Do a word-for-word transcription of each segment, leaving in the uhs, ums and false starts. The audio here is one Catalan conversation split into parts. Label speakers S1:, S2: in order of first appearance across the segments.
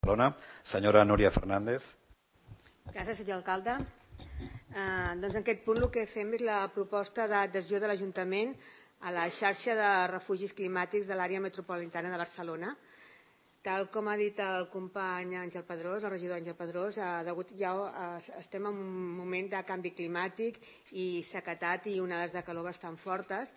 S1: Barcelona. Senyora Núria Fernández.
S2: Gràcies, senyor alcalde. Eh, doncs en aquest punt el que fem és la proposta d'adhesió de l'Ajuntament a la xarxa de refugis climàtics de l'àrea metropolitana de Barcelona. Tal com ha dit el company Àngel Pedrós, el regidor Àngel Pedrós, eh, degut ja eh, estem en un moment de canvi climàtic i sequedat i onades de calor bastant fortes.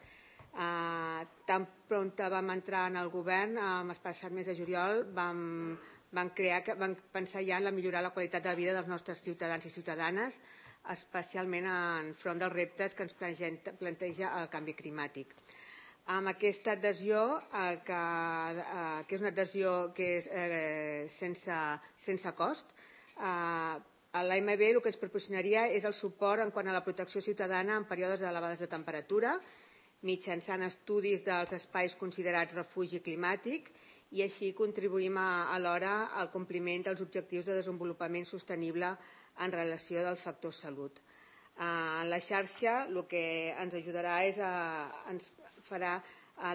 S2: Eh, tan prompte vam entrar en el govern, eh, el passat mes de juliol, vam van, crear, van pensar ja en la millorar la qualitat de vida dels nostres ciutadans i ciutadanes, especialment enfront dels reptes que ens planteja el canvi climàtic. Amb aquesta adhesió, el que, eh, que és una adhesió que és eh, sense, sense cost, eh, l'A M B el que ens proporcionaria és el suport en quant a la protecció ciutadana en períodes elevades de temperatura, mitjançant estudis dels espais considerats refugi climàtic, i així contribuïm alhora al compliment dels objectius de desenvolupament sostenible en relació del factor salut. En la xarxa el que ens ajudarà és a, ens farà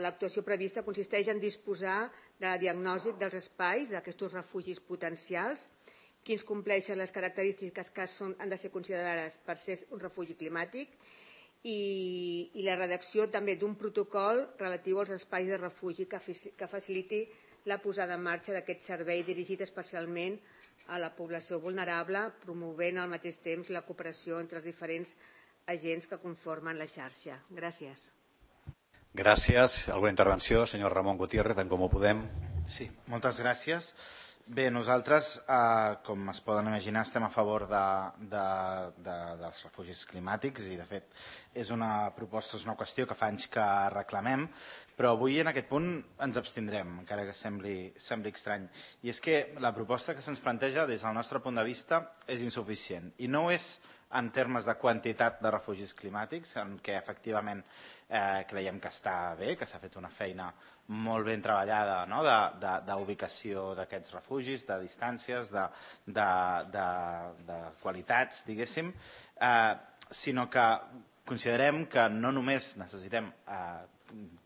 S2: l'actuació prevista consisteix en disposar de la diagnosi dels espais d'aquests refugis potencials, quins compleixen les característiques que són, han de ser considerades per ser un refugi climàtic i, i la redacció també d'un protocol relatiu als espais de refugi que, que faciliti la posada en marxa d'aquest servei dirigit especialment a la població vulnerable, promovent al mateix temps la cooperació entre els diferents agents que conformen la xarxa. Gràcies.
S1: Gràcies. Alguna intervenció? Senyor Ramon Gutiérrez, en Comú Podem.
S3: Sí, moltes gràcies. Bé, nosaltres, eh, com es poden imaginar, estem a favor de, de, de, dels refugis climàtics i, de fet, és una proposta, és una qüestió que fa anys que reclamem, però avui en aquest punt ens abstindrem, encara que sembli, sembli estrany. I és que la proposta que se'ns planteja des del nostre punt de vista és insuficient. I no és en termes de quantitat de refugis climàtics, en què efectivament eh, creiem que està bé, que s'ha fet una feina molt ben treballada, no? d'ubicació d'aquests refugis, de distàncies, de, de, de, de qualitats, diguéssim, eh, sinó que considerem que no només necessitem eh,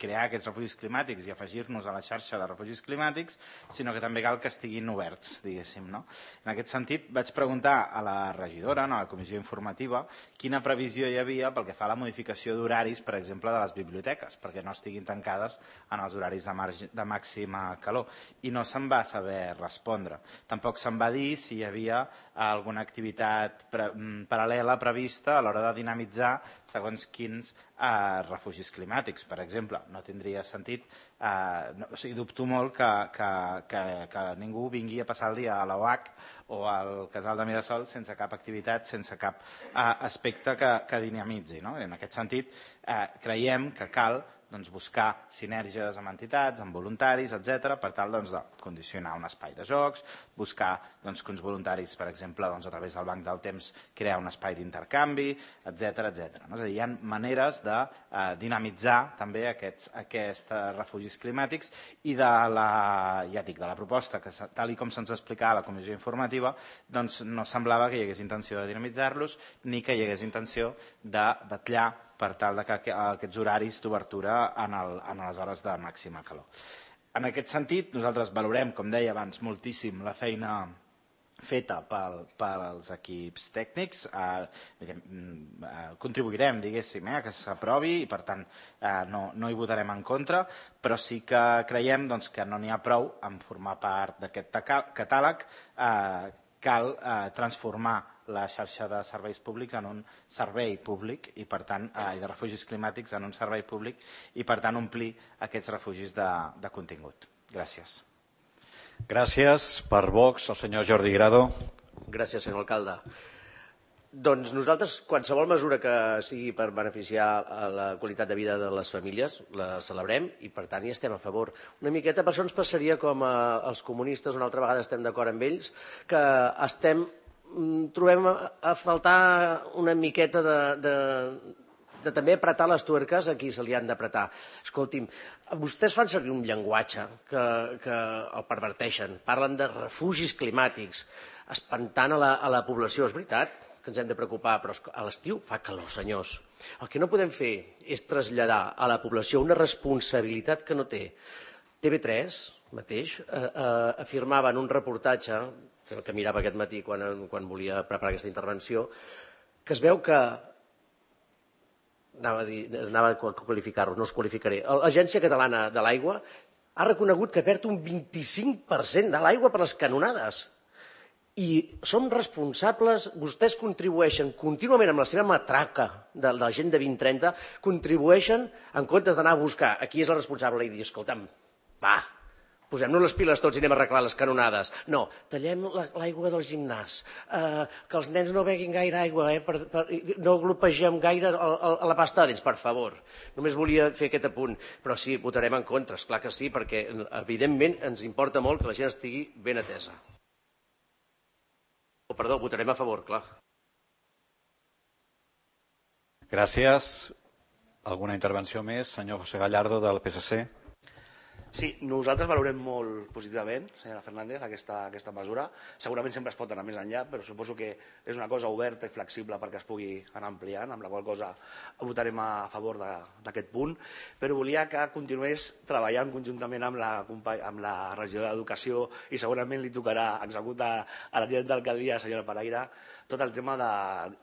S3: crear aquests refugis climàtics i afegir-nos a la xarxa de refugis climàtics, sinó que també cal que estiguin oberts, diguéssim. No? En aquest sentit, vaig preguntar a la regidora, no, a la comissió informativa, quina previsió hi havia pel que fa a la modificació d'horaris, per exemple, de les biblioteques, perquè no estiguin tancades en els horaris de, marge, de màxima calor. I no se'n va saber respondre. Tampoc se'n va dir si hi havia alguna activitat pre paral·lela prevista a l'hora de dinamitzar segons quins eh, refugis climàtics, per exemple. exemple, no tindria sentit, eh, no, o sigui, dubto molt que, que, que, que ningú vingui a passar el dia a l'O H o al Casal de Mirasol sense cap activitat, sense cap eh, aspecte que, que dinamitzi. No? En aquest sentit, eh, creiem que cal doncs, buscar sinergies amb entitats, amb voluntaris, etcètera, per tal doncs, de condicionar un espai de jocs, buscar doncs, que uns voluntaris, per exemple, doncs, a través del banc del temps, crear un espai d'intercanvi, etcètera, etcètera. No? És a dir, hi ha maneres de eh, dinamitzar també aquests, aquests refugis climàtics i de la, ja dic, de la proposta, que tal i com se'ns explicava a la comissió informativa, doncs, no semblava que hi hagués intenció de dinamitzar-los ni que hi hagués intenció de vetllar per tal de que aquests horaris d'obertura en, el, en les hores de màxima calor. En aquest sentit, nosaltres valorem, com deia abans, moltíssim la feina feta pel, pels equips tècnics, eh, eh, contribuirem, diguéssim, eh, que s'aprovi i, per tant, eh, no, no hi votarem en contra, però sí que creiem doncs, que no n'hi ha prou en formar part d'aquest catàleg, eh, cal eh, transformar la xarxa de serveis públics en un servei públic i, per tant, eh, de refugis climàtics en un servei públic i, per tant, omplir aquests refugis de, de contingut. Gràcies.
S1: Gràcies. Per Vox, el senyor Jordi Grado.
S4: Gràcies, senyor alcalde. Doncs nosaltres, qualsevol mesura que sigui per beneficiar la qualitat de vida de les famílies, la celebrem i, per tant, hi estem a favor. Una miqueta per això ens passaria com als comunistes, una altra vegada estem d'acord amb ells, que estem trobem a faltar una miqueta de, de, de també apretar les tuerques a qui se li han d'apretar. Escolti'm, vostès fan servir un llenguatge que, que el perverteixen, parlen de refugis climàtics, espantant a la, a la població. És veritat que ens hem de preocupar, però a l'estiu fa calor, senyors. El que no podem fer és traslladar a la població una responsabilitat que no té. T V tres mateix eh, eh, afirmava en un reportatge que mirava aquest matí quan, quan volia preparar aquesta intervenció, que es veu que, anava a, dir, anava a qualificar-ho, no us qualificaré, l'Agència Catalana de l'Aigua ha reconegut que perd un vint-i-cinc per cent de l'aigua per les canonades. I som responsables, vostès contribueixen contínuament amb la seva matraca de la gent de vint trenta, contribueixen en comptes d'anar a buscar a qui és el responsable i dir, escolta'm, va, posem-nos les piles tots i anem a arreglar les canonades. No, tallem l'aigua del gimnàs, eh, que els nens no beguin gaire aigua, eh, per, per, no glopegem gaire a, a, a la pasta de dents, per favor. Només volia fer aquest apunt, però sí, votarem en contra, esclar que sí, perquè evidentment ens importa molt que la gent estigui ben atesa. Oh, perdó, votarem a favor, clar.
S1: Gràcies. Alguna intervenció més? Senyor José Gallardo, del P S C.
S5: Sí, nosaltres valorem molt positivament, senyora Fernández, aquesta, aquesta mesura. Segurament sempre es pot anar més enllà, però suposo que és una cosa oberta i flexible perquè es pugui anar ampliant, amb la qual cosa votarem a favor d'aquest punt. Però volia que continués treballant conjuntament amb la, amb la regió d'Educació i segurament li tocarà executar a la tinent d'alcaldia, senyora Paraire, tot el tema de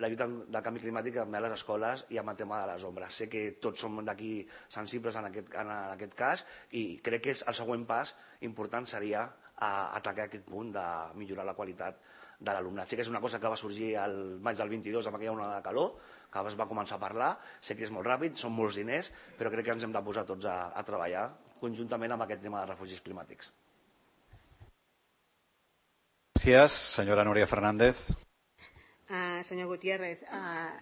S5: la lluita del canvi climàtic també a les escoles i amb el tema de les ombres. Sé que tots som d'aquí sensibles en aquest, en aquest cas i crec que és el següent pas important seria atacar aquest punt de millorar la qualitat de l'alumnat. Sé que és una cosa que va sorgir el maig del vint-i-dos amb aquella onada de calor, que es va començar a parlar, sé que és molt ràpid, són molts diners, però crec que ens hem de posar tots a, a treballar conjuntament amb aquest tema de refugis climàtics.
S1: Gràcies, senyora Núria Fernández.
S2: Uh, senyor Gutiérrez, uh,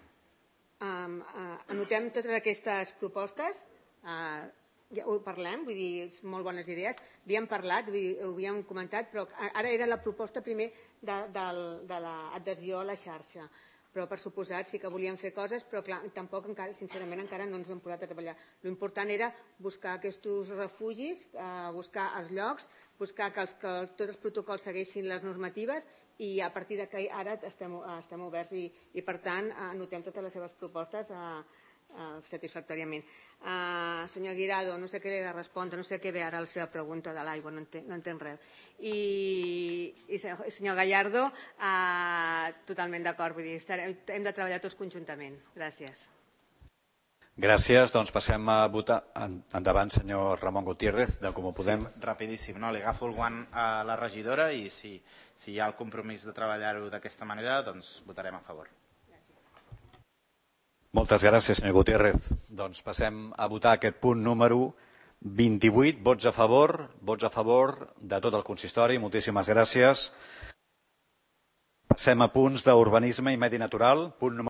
S2: um, uh, anotem totes aquestes propostes, uh, ja ho parlem, vull dir, molt bones idees, havíem parlat, vull dir, ho havíem comentat, però ara era la proposta primer de, de, de l'adhesió a la xarxa, però per suposat sí que volíem fer coses, però clar, tampoc encara, sincerament encara no ens hem posat a treballar. L'important era buscar aquests refugis, uh, buscar els llocs, buscar que, els, que tots els protocols segueixin les normatives i a partir de que ara estem, estem oberts i, i per tant anotem totes les seves propostes a, a, satisfactòriament. Uh, senyor Guirado, no sé què li he de respondre, no sé què ve ara la seva pregunta de l'aigua, no, entenc, no entenc res. I, i senyor Gallardo, uh, totalment d'acord, vull dir, hem de treballar tots conjuntament. Gràcies.
S1: Gràcies, doncs passem a votar. Endavant, senyor Ramon Gutiérrez, de Com ho Podem.
S3: Sí, rapidíssim, no? Li agafo el guant a la regidora i si, si hi ha el compromís de treballar-ho d'aquesta manera, doncs votarem a favor.
S1: Moltes gràcies, senyor Gutiérrez. Doncs passem a votar aquest punt número vint-i-vuit. Vots a favor, vots a favor de tot el consistori. Moltíssimes gràcies. Passem a punts d'urbanisme i medi natural. Punt número